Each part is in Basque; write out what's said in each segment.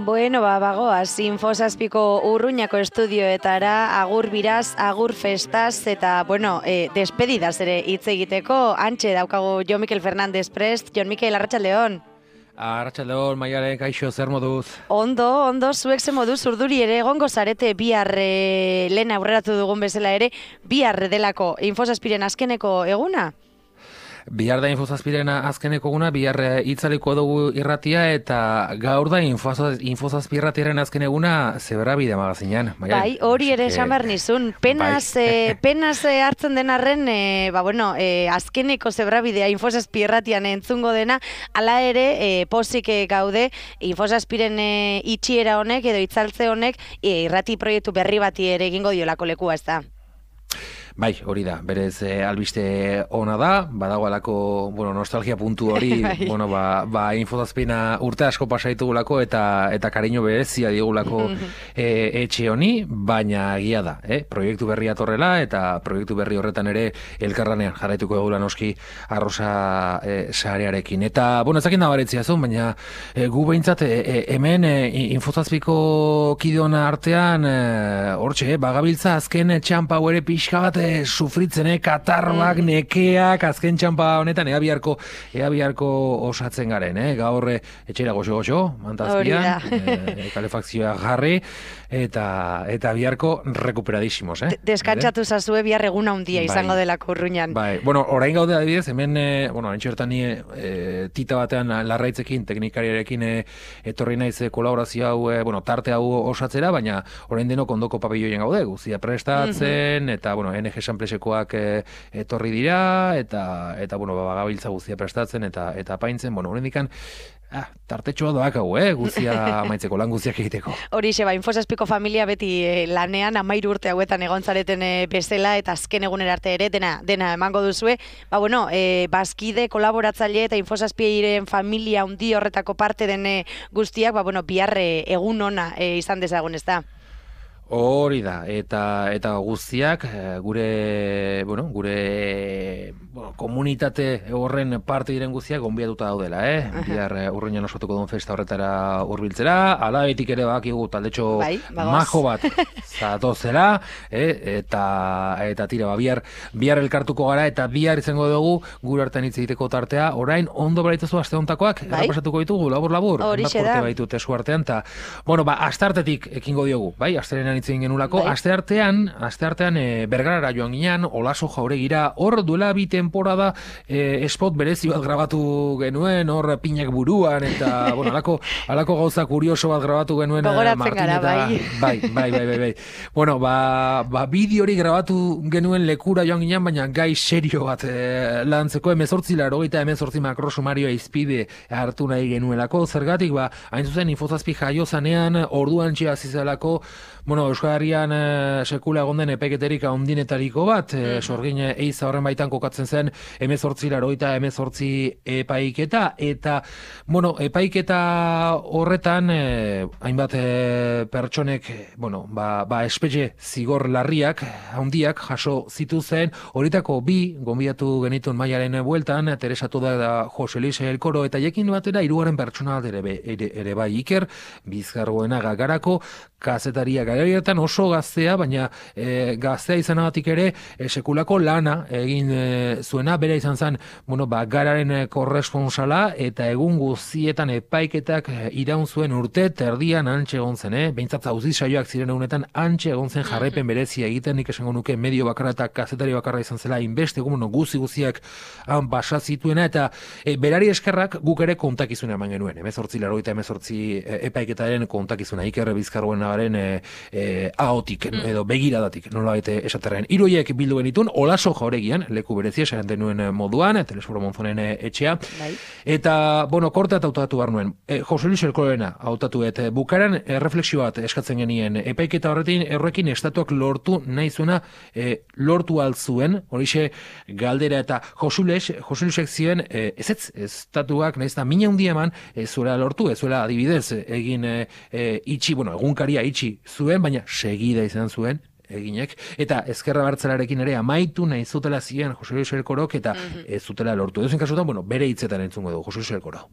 Bueno, bagoaz, Infosazpiko Urruñako estudioetara, agur biraz, agur festaz, eta, bueno, despedidaz ere hitz egiteko, antxe daukagu Jon Mikel Fernández prest. Jon Mikel, arratsaldeon. Arratsaldeon, Maialen, kaixo, zer moduz? Ondo, zuek ze moduz, urduri ere, egongo zarete bihar lehen aurreratu dugun bezala ere, bihar delako Infosazpiren azkeneko eguna? Bihar da Infosazpiren azkeneko eguna, bihar itzaliko dugu irratia, eta gaur da Infosazpi irratiaren azken eguna Zebrabide magazinean. Bai, hori ere esan behar nizun. Penaz hartzen denarren, azkeneko Zebrabidea Infosazpi irratian entzungo dena, hala ere pozik gaude Infosazpiren itxiera honek edo itzaltze honek irrati proiektu berri bati ere egingo diolako lekua, ez da? Bai, hori da, berez albiste ona da, badagoalako, nostalgia puntu hori, Infosazpina urte asko pasaitugulako eta kariño berezia digulako etxe honi, baina egia da, proiektu berri atorrela eta proiektu berri horretan ere elkarranean jarraituko egula noski Arrosa sarearekin. Eta, ezakin da baretzia zuen, baina gu behintzat hemen Infosazpiko kideona artean, hortxe, bagabiltza azken txampa ere pixka bat sufritzen, katarrak, nekeak, azken txampa honetan, ea biharko osatzen garen, gaur etxera goxo, mantazpian, kalefakzioa jarri, eta biharko rekuperadísimos. Deskantzatu zazue bihar eguna handia izango delako Urruñan. Bai, orain gaude adibidez, hemen, haintxertan tita batean larraitzekin, teknikariarekin etorri naiz kolaborazio hau, tarte hau osatzera, baina orain denok ondoko papilloien gaude, guztia prestatzen, eta, NG Sanplesekoak etorri dira, eta bagabiltza guztia prestatzen, eta paintzen, horrendikan, tartetxoa doak hau, guzia amaitzeko, lan guztiak egiteko. Horixe, Infosazpiko familia beti lanean, 13 urte hauetan egon zareten bezala, eta azken egunera arte ere, dena emango duzue. Bazkide, kolaboratzaile eta Infosazpiren familia handi horretako parte den guztiak, bihar egun ona izan dezagun, ez da? Hori da, eta guztiak gure komunitate horren parte diren guztiak gonbidatuta daudela, bihar Urruñan osatuko duen festa horretara hurbiltzera, alabetik ere bakigu taldetxo majo bat zatozela, eta tira, bihar elkartuko gara, eta bihar izango dugu gure artean hitz egiteko tartea, orain ondo beraituzu aste hontakoak, errapasatuko ditugu, labur, horixe da. Baitu tesu artean, eta, asteartetik ekingo diogu, astearenan hitz egin genulako, asteartean Bergarara joan ginean, Olaso Jauregira, hor duela 2 temporada spot berezi bat grabatu genuen, hor pinak buruan, eta, alako gauza kurioso bat grabatu genuen Gogoratzen gara, bai. Bideo hori grabatu genuen lekura joan ginean, baina gai serio bat lantzeko 18 makrosumarioa izpide hartu nahi genuelako, zergatik, hain zuzen Infosazpi jaio zanean, orduan txea zizelako, Euskal Herrian sekula egon den epaiketerik handinetariko bat, sorgin eiza horren baitan kokatzen zen 18 epaiketa, eta epaiketa horretan hainbat pertsonek espetxe zigor larriak handiak jaso zituzen, horietako 2 gonbidatu genituen Maialen bueltan, Teresa Toda da Jose Luis Elkoro, eta jekin batera 3. pertsona ere bai Iker Bizkargoena Garako, kazetaria garaiatan oso gaztea, baina gaztea izanagatik ere sekulako lana egin zuena, bera izan zen gararen korresponsala, eta egun guztietan epaiketak iraun zuen urte terdian antxe egon zen, behintzat auzi saioak ziren egunetan antxe egon zen jarraipen berezia egiten, nik esango nuke medio bakarra eta kazetari bakarra izan zela, inbeste guztiak han basa zituena, eta berari eskerrak guk ere kontakizuna eman genuen, 18 epaiketaren kontakizuna, Iker Bizkargoena ahotik edo begiradatik nola baite esaterren. 3 horiek bildu genitun, Olaso Jauregian, leku berezia esan denuen moduan, Telesforo Monzonen etxea, eta, kortea hautatu behar nuen, Jose Luis Elkorena hautatu, bukaran refleksio bat eskatzen genien, epaiketa horrekin estatuak lortu nahi zuena, lortu altzuen, horixe galdera, eta Jose Luisek ziren, estatuak nahiz da mina handia eman, zuela lortu, zuela adibidez egin egunkaria itxi zuen, baina segida izan zuen eginek, eta ezkerra bertzelarekin ere amaitu nahi zutela ziren Jose Luis Elkorok, eta ez zutela lortu. Edozein kasutan, bueno, bere hitzetan entzungo du Jose Luis Elkoro.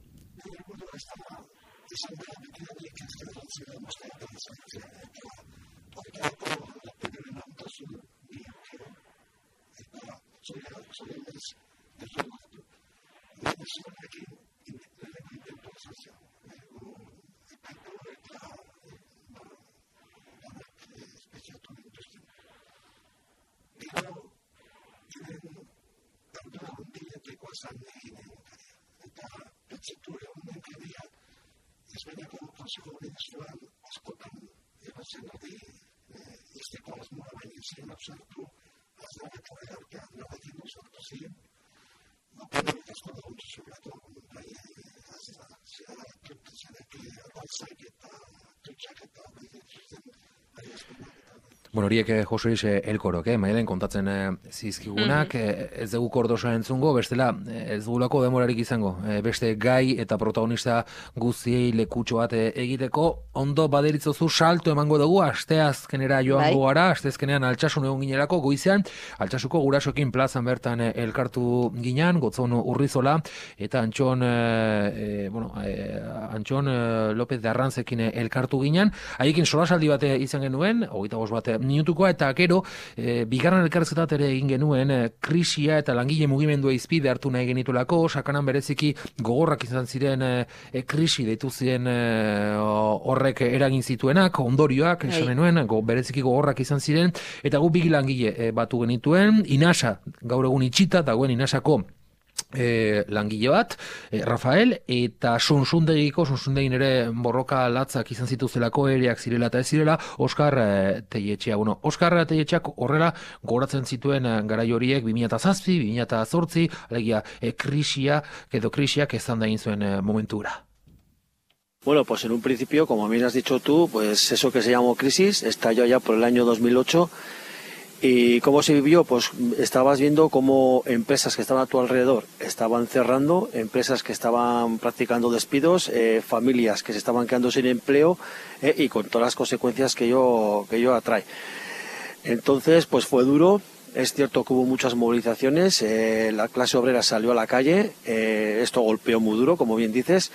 Bueno, horiek Jose Luis Elkorok, Maialen kontatzen zizkigunak, ez dugu kordosa entzungo, bestela ez dugulako demorarik izango, beste gai eta protagonista guztiei lekutxo bat egiteko, ondo baderitzozu salto emango dugu, asteazkenera joango gara, asteazkenean Altsasun egon ginerako, goizean, Altsasuko gurasoekin plazan bertan elkartu ginean, Gotzon Urrizola, eta Antxon López de Arrantzekin elkartu ginean, haiekin solasaldi bat izan genuen, 25 bat minutukoa, eta gero, bigarren elkarrezetat ere egin genuen, krisia eta langile mugimendua izpide hartu nahi genituelako, sakanan bereziki gogorrak izan ziren krisi deitu ziren horrek eragin zituenak, ondorioak, esan genuen, bereziki gogorrak izan ziren, eta gu bigi langile batu genituen, Inasa, gaur egun itxita, dagoen Inasako langile bat, Rafael, eta Sonsundegin ere borroka latzak izan zituzelako ereak zirela eta ez zirela, Oskar Teietxea. Bueno, Oskar Teietxeak horrela goratzen zituen garai horiek 2007, 2008, alegia krisiak ezan da egin zuen momentura. Bueno, pues en un principio, como bien has dicho tú, pues eso que se llamó crisis estalló ya por el año 2008. ¿Y cómo se vivió? Pues estabas viendo cómo empresas que estaban a tu alrededor estaban cerrando, empresas que estaban practicando despidos, familias que se estaban quedando sin empleo y con todas las consecuencias que ello atrae. Entonces, pues fue duro. Es cierto que hubo muchas movilizaciones, la clase obrera salió a la calle, esto golpeó muy duro, como bien dices.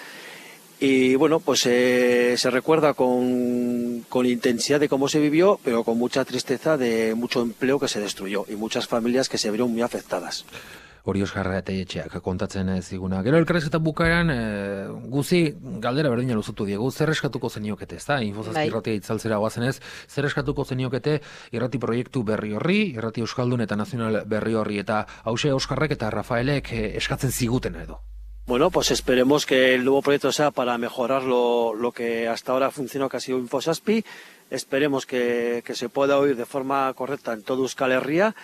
Y bueno, pues se recuerda con intensidad de cómo se vivió, pero con mucha tristeza de mucho empleo que se destruyó y muchas familias que se vieron muy afectadas. Hori Oskar Teietxeak kontatzen ziguna. Gero elkarrezketa bukaeran guzi galdera berdina luzutu diegu, zer eskatuko zeniokete, ez da? Infozazpi irratia itzaltzera guazenez, zer eskatuko zeniokete irrati proiektu berri horri, irrati euskaldun eta nazional berri horri, eta hause Oskarrek eta Rafaelek eskatzen ziguten edo. Bueno, pues esperemos que el nuevo proyecto sea para mejorar lo que hasta ahora funcionó, que ha sido Infosaspi. Esperemos que se pueda oír de forma correcta en todo Euskal Herria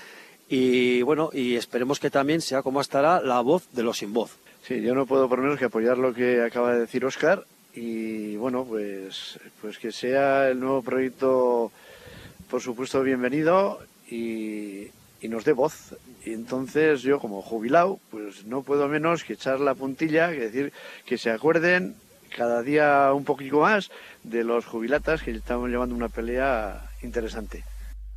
y bueno, y esperemos que también sea como estará la voz de los sin voz. Sí, yo no puedo por menos que apoyar lo que acaba de decir Óscar y bueno, pues que sea el nuevo proyecto, por supuesto, bienvenido y nos dé voz. Y entonces yo, como jubilado, pues no puedo menos que echar la puntilla, que decir que se acuerden cada día un poquito más de los jubilatas, que estamos llevando una pelea interesante.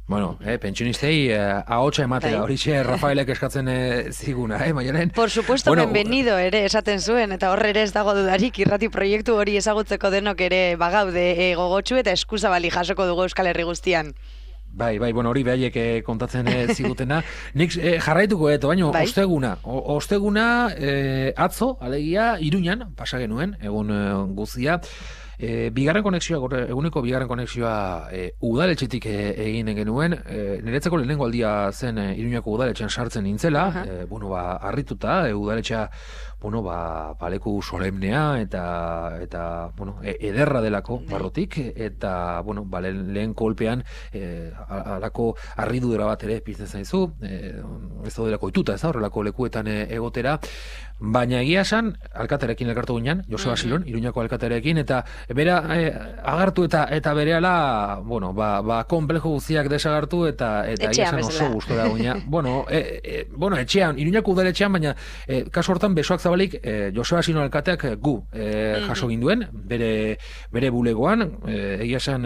Bueno, pentsionistei ahotsa ematea, horixe Rafaelek eskatzen ziguna, Maialen? Por supuesto, bienvenido ere esaten zuen, eta horre ere ez dago dudarik irrati proiektu hori ezagutzeko denok ere bagaude gogotsu eta eskuzabali jasoko dugu Euskal Herri guztian. Bai, bueno, hori behaiek kontatzen zigutena. Nik jarraituko baina osteguna atzo, alegia, Iruñan, pasa genuen, egun guztia, bigarren konexioa, eguneko bigarren konexioa udaletxetik egin genuen, niretzako lehenengo aldia zen Iruñako udaletxean sartzen nintzela, harrituta, udaletxea leku solemnea eta ederra delako barrotik, eta lehen kolpean alako harridura bat ere pizten zaizu, ez daudelako ituta, ez da, horrelako lekuetan egotera, baina egia esan, alkaterekin elkartu ginean, Joseba Silon, Iruñako alkaterekin, eta bera agartu eta berehala, konplejo guztiak desagartu, eta egia esan oso gustora ginean. Etxean, Iruñako udaletxean, baina kasu hortan besoak zabalik, Joseba Sino alkateak gu jaso ginduen, bere bulegoan, egia esan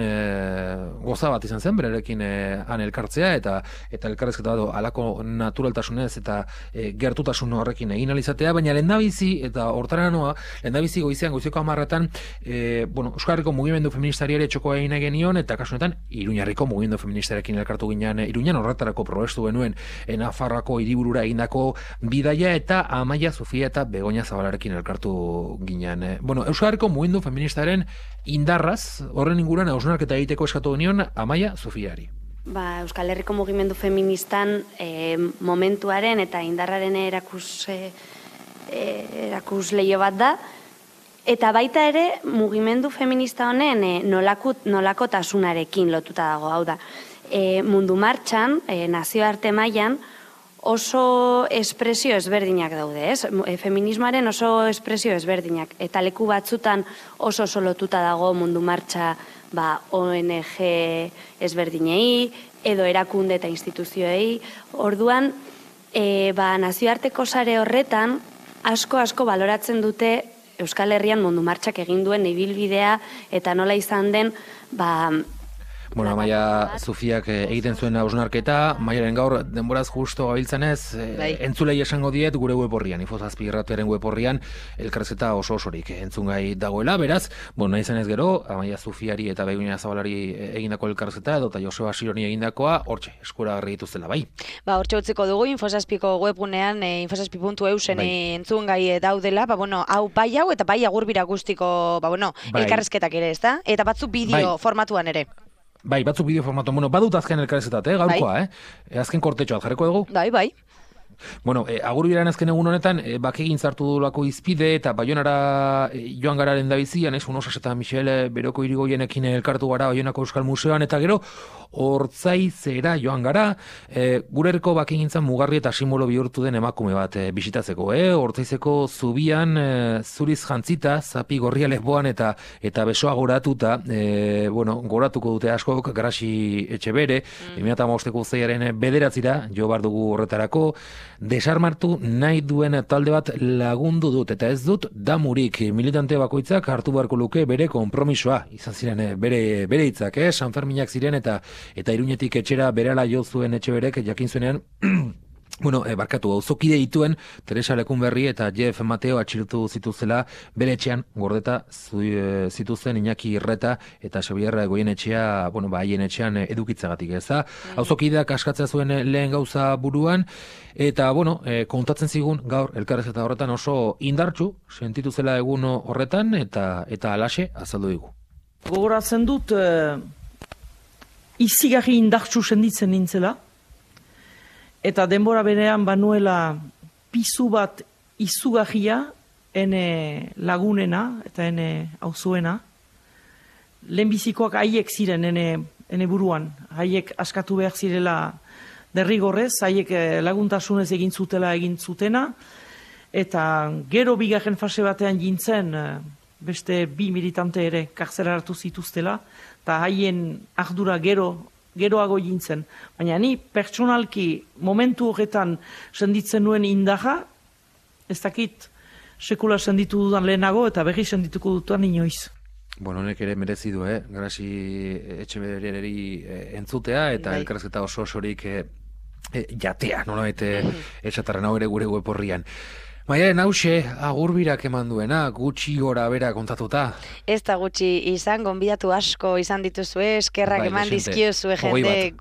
goza bat izan zen, bererekin han elkartzea, eta elkarrezketa bat alako naturaltasunez eta gertutasun horrekin egin alizatea, baina lehendabizi, eta hortara noa, lehendabizi goizeko 10:00 Euskal Herriko mugimendu feministari ere txokoa egin genion, eta kasunetan, Iruñarriko mugimendu feministarekin elkartu ginen, Iruñan horretarako probestu genuen, Nafarroako hiriburura egindako bidaia, eta Amaia Sofia eta Begoña Zabalarekin elkartu ginen. Euskal Herriko mugimendu feministaren indarraz, horren inguruan hausnarketa egiteko eskatu genion Amaia Sofiari. Euskal Herriko mugimendu feministan momentuaren eta indarraren erakus leio bat da, eta baita ere mugimendu feminista honen nolakotasunarekin lotuta dago, hau da. Mundu martxan, nazioarte mailan, oso espresio ezberdinak daude, ez? Feminismoaren oso espresio ezberdinak, eta leku batzutan oso lotuta dago mundu martxa ONG ezberdinei, edo erakunde eta instituzioei. Orduan, nazioarteko sare horretan, asko baloratzen dute Euskal Herrian mundu martxak egin duen ibilbidea, eta nola izan den, Amaia Sofiak egiten zuen hausnarketa, Maiaren gaur denboraz justo gabiltzanez, entzulei esango diet gure web horrian, Infozazpi irratiaren web horrian, elkarrezketa osorik entzungai dagoela, beraz, nahi zenez gero, Amaia Sofiari eta Begoña Zabalari egindako elkarrezketa, edo eta Joseba Sironi egindakoa, hortxe, eskuragarri dituztela, bai. Hortxe utziko dugu, Infozazpiko webgunean, infozazpi.eusen entzungai daudela, hau bai hau, eta bai agurbira guztiko, elkarrezketak ere, ez da? Eta batzuk bideo formatuan ere. Bai, batzuk bideo formatu, badut azken elkarrezetat, gaurkoa, azken kortetxoat jarriko dugu. Bai. Agurbiraren azken egun honetan, bakegin zartu dulako izpide, eta Baionara joan gara lehendabizian, Unosas eta Michel Beroko irigoienekin elkartu gara Baionako Euskal Museoan, eta gero, Ortzaizera joan gara, gure herriko bakegintzan mugarri eta simbolo bihurtu den emakume bat bisitatzeko, Ortzaizeko zubian zuriz jantzita, zapi gorria lesboan eta besoa goratuta, goratuko dute askok, Grasi Etxebere, 2015ko uztailaren 9 jo bar dugu horretarako, desarmartu nahi duen talde bat lagundu dut, eta ez dut damurik militante bakoitzak hartu beharko luke bere konpromisoa, izan ziren bere hitzak, Sanferminak ziren eta Iruñetik etxera berala jo zuen Etxeberek jakin zuenean, barkatu, auzokide dituen Teresa Lekunberri eta Jeff Mateo atxilotu zituzela bere etxean gordeta zituzten Iñaki Irreta eta Xabier Goienetxea, haien etxean edukitzagatik, ez da? Auzokideak askatzea zuen lehen gauza buruan, eta, kontatzen zigun gaur elkarrezketa horretan oso indartsu sentitu zela egun horretan, eta alaxe azaldu digu. Gogoratzen dut, izigarri indartsu senditzen nintzela, eta denbora berean banuela pizu bat izugarria ene lagunena eta ene auzuena. Lehenbizikoak haiek ziren ene buruan, haiek askatu behar zirela derrigorrez, haiek laguntasunez egin zutena, eta gero bigarren fase batean jintzen beste 2 militante ere kartzelaratu zituztela, eta haien ardura geroago jintzen. Baina ni pertsonalki momentu horretan senditzen nuen indarra, ez dakit sekula senditu dudan lehenago eta berri sendituko dutan inoiz. Honek ere merezi du, Grasi Etxebereri entzutea eta elkarrezketa osorik jatea, nolabait esatarren hau ere gure web horrian. Maialen hause, agurbirak eman duena, gutxi gora bera kontatuta. Ez da gutxi izan, gonbidatu asko izan dituzue, eskerrak eman dizkiozue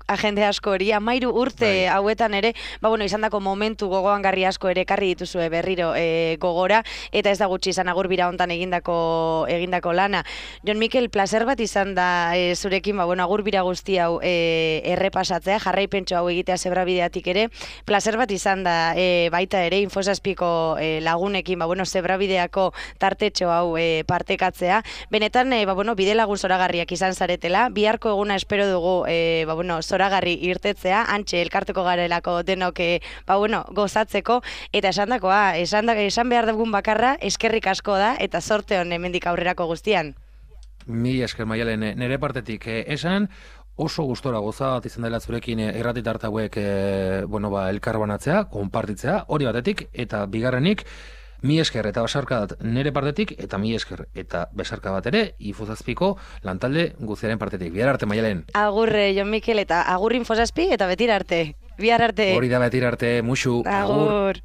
agende asko hori, 13 urte hauetan ere, izan dako momentu gogoangarri asko ere karri dituzue berriro gogora, eta ez da gutxi izan agurbira hontan egindako lana. Jon Mikel, placer bat izan da zurekin, agurbira guzti hau errepasatzea, jarraipentxo hau egitea zebrabideatik ere, placer bat izan da baita ere, Infozazpiko lagunekin, zebrabideako tartetxo hau partekatzea. Benetan, bide lagun zoragarriak izan zaretela. Biharko eguna espero dugu, zoragarri irtetzea, antxe elkarteko garelako denok, gozatzeko, eta esan behar dugun bakarra, eskerrik asko da, eta zorte hon hemendik aurrerako guztian. Mi esker, Maialen, nire partetik esan, oso gustora goza bat izan dela zurekin erratitarta hauek elkarbanatzea, konpartitzea, hori batetik, eta bigarrenik, Mi esker eta besarkadat nire partetik, eta mi esker eta besarka bat ere, Infozazpiko lantalde guziaren partetik. Bihar arte, Maialen. Agurre, Jon Mikel, eta agur Infozazpi, eta betira arte. Bihar arte. Hori da betira arte, musu. Agur.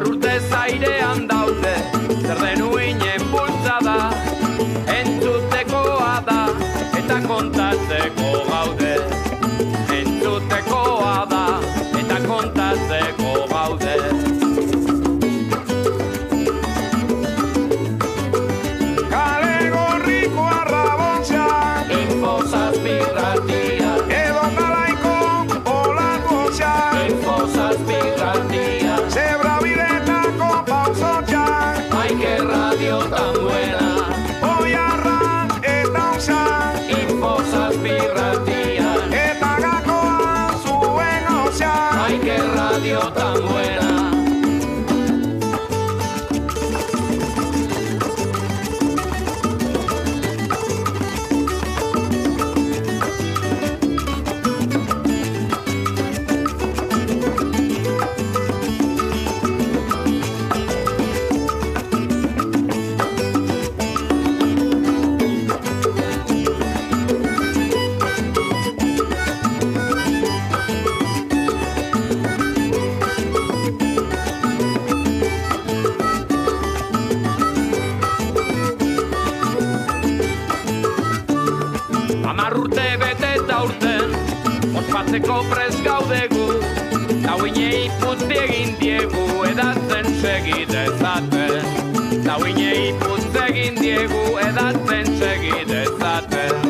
Urte zairean daude, zer denuinen bultzada, entzutekoa da, eta kontatzeko gaude. Entzutekoa da, eta kontatzeko gaude. Kale gorriko arrabontza, Infozazpi irratia, edo nalaiko olakontza, Infozazpi irratia, zebra ay, qué radio tan buena. Voy a ran, eta usa Infozazpi irratia, eta gakoa zuen osea. Ay, qué radio tan buena. Urte bete eta urten, ospatzeko prest gaudegu, dauinei putzi egin diegu, edatzen segidezaten. Dauinei putzi egin diegu, edatzen segidezaten.